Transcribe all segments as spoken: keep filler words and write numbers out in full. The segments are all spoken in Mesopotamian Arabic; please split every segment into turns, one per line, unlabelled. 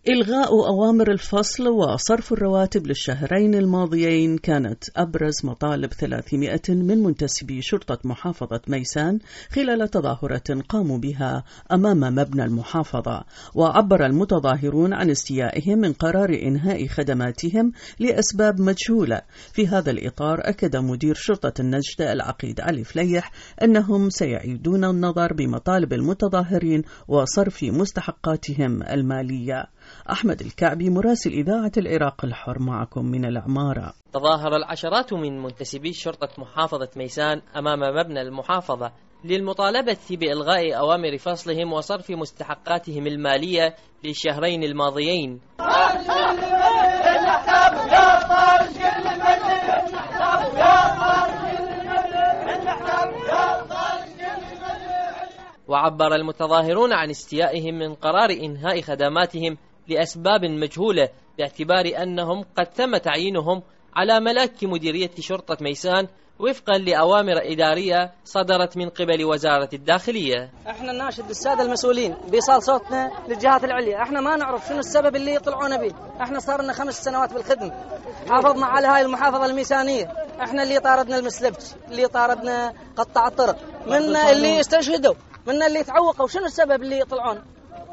إلغاء أوامر الفصل وصرف الرواتب للشهرين الماضيين كانت أبرز مطالب ثلاثمائة من منتسبي شرطة محافظة ميسان خلال تظاهرة قاموا بها أمام مبنى المحافظة. وعبر المتظاهرون عن استيائهم من قرار إنهاء خدماتهم لأسباب مجهولة. في هذا الإطار أكد مدير شرطة النجدة العقيد علي فليح أنهم سيعيدون النظر بمطالب المتظاهرين وصرف مستحقاتهم المالية. أحمد الكعبي مراسل إذاعة العراق الحر معكم من العمارة.
تظاهر العشرات من منتسبي شرطة محافظة ميسان أمام مبنى المحافظة للمطالبة بإلغاء أوامر فصلهم وصرف مستحقاتهم المالية للشهرين الماضيين. وعبر المتظاهرون عن استيائهم من قرار إنهاء خدماتهم لأسباب مجهولة، باعتبار أنهم قد تم تعيينهم على ملاك مديرية شرطة ميسان وفقا لأوامر إدارية صدرت من قبل وزارة الداخلية.
احنا نناشد السادة المسؤولين بإيصال صوتنا للجهات العليا، احنا ما نعرف شنو السبب اللي يطلعون به، احنا صار لنا خمس سنوات بالخدمة، حافظنا على هاي المحافظة الميسانية، احنا اللي طاردنا المسلبت، اللي طاردنا قطع الطرق، منا اللي استشهدوا، منا اللي تعوقوا، شنو السبب اللي يطلعون؟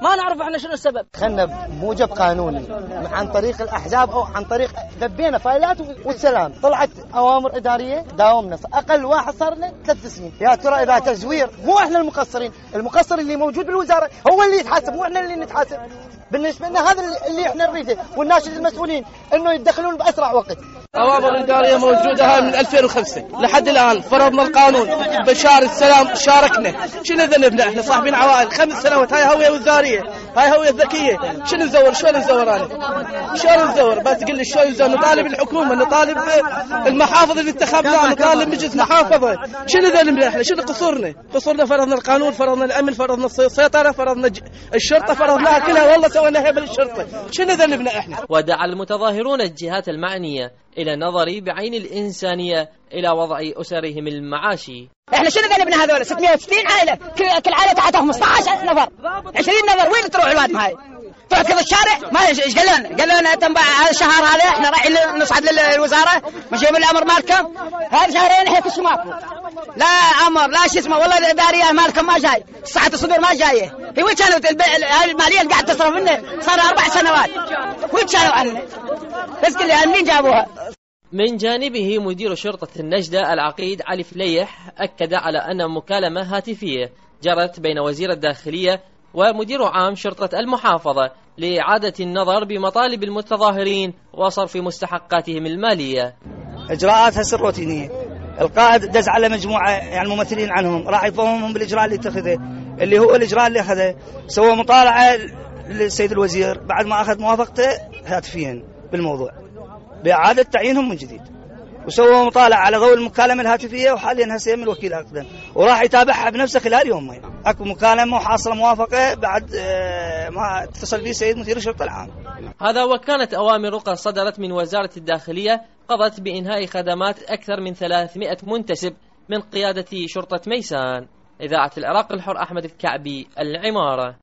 ما نعرف احنا شنو السبب.
خلنا بموجب قانوني عن طريق الاحزاب او عن طريق دبينا فايلات والسلام، طلعت اوامر اداريه داومنا، اقل واحد صار له ثلاث سنين. يا ترى اذا تزوير مو احنا المقصرين، المقصر اللي موجود بالوزاره هو اللي يتحاسب مو احنا اللي نتحاسب. بالنسبه لنا هذا اللي احنا نريده، والناشد المسؤولين انه يتدخلون باسرع وقت.
أوامر إدارية موجودة هاي من ألفين وخمسة لحد الآن، فرضنا القانون بشار السلام شاركنا، شنو ذنبنا احنا صاحبين عوائل خمس سنوات، هاي هوية وزارية، هاي هوية ذكية، شنو نزور شلون نزور أنا شلون نزور بس تقول لي شلون نزور؟ نطالب الحكومة، نطالب المحافظة اللي انتخبناها، نطالب مجلس محافظة، شنو ذنبنا احنا؟ شنو قصورنا؟ قصورنا فرضنا القانون، فرضنا الأمن، فرضنا السيطرة، فرضنا الشرطة، فرضناها كلها، والله سوينا هيبة للشرطة، شنو ذنبنا احنا؟
ودعا المتظاهرون الجهات المعنية إلى النظر بعين الإنسانية إلى وضع أسرهم المعاشي.
احنا شنو ذنبنا هذول ستمائة وستين عائلة، كل عائلة تحتها خمسة عشر نفر، عشرين نفر، وين تروح الواد هاي؟ تروح كذا الشارع؟ ما ايش قالوا لنا؟ قالوا لنا تنبع هذا الشهر هذا احنا رايحين نصعد للوزارة مشي بالامر مالكم، هذا شهرين احنا كل شيء ماكو. لا امر لا شيء اسمه، والله الادارية مالكم ما جاي، ساعة الصدور ما جاية. هي وين كانت هاي المالية اللي قاعد تصرف لنا صار اربع سنوات؟ وين كانوا عنا؟ بس قل لي منين جابوها؟
من جانبه مدير شرطة النجدة العقيد علي فليح أكد على أن مكالمة هاتفية جرت بين وزير الداخلية ومدير عام شرطة المحافظة لإعادة النظر بمطالب المتظاهرين وصرف مستحقاتهم المالية.
إجراءات هسه روتينية، القائد دز على مجموعة يعني ممثلين عنهم راح يفهمهم بالإجراء اللي اتخذه، اللي هو الإجراء اللي أخذه، سوى مطالعة للسيد الوزير بعد ما أخذ موافقته هاتفيا بالموضوع بإعادة تعيينهم من جديد، وسووا مطالعة على ضوء المكالمة الهاتفية، وحاليا هسه من الوكيل أقدم وراح يتابعها بنفسه خلال يومين. أكو مكالمة وحاصلة موافقة بعد ما اتصل به سيد مدير الشرطة العام.
هذا وكانت أوامر قد صدرت من وزارة الداخلية قضت بإنهاء خدمات أكثر من ثلاثمائة منتسب من قيادة شرطة ميسان. إذاعة العراق الحر، أحمد الكعبي، العمارة.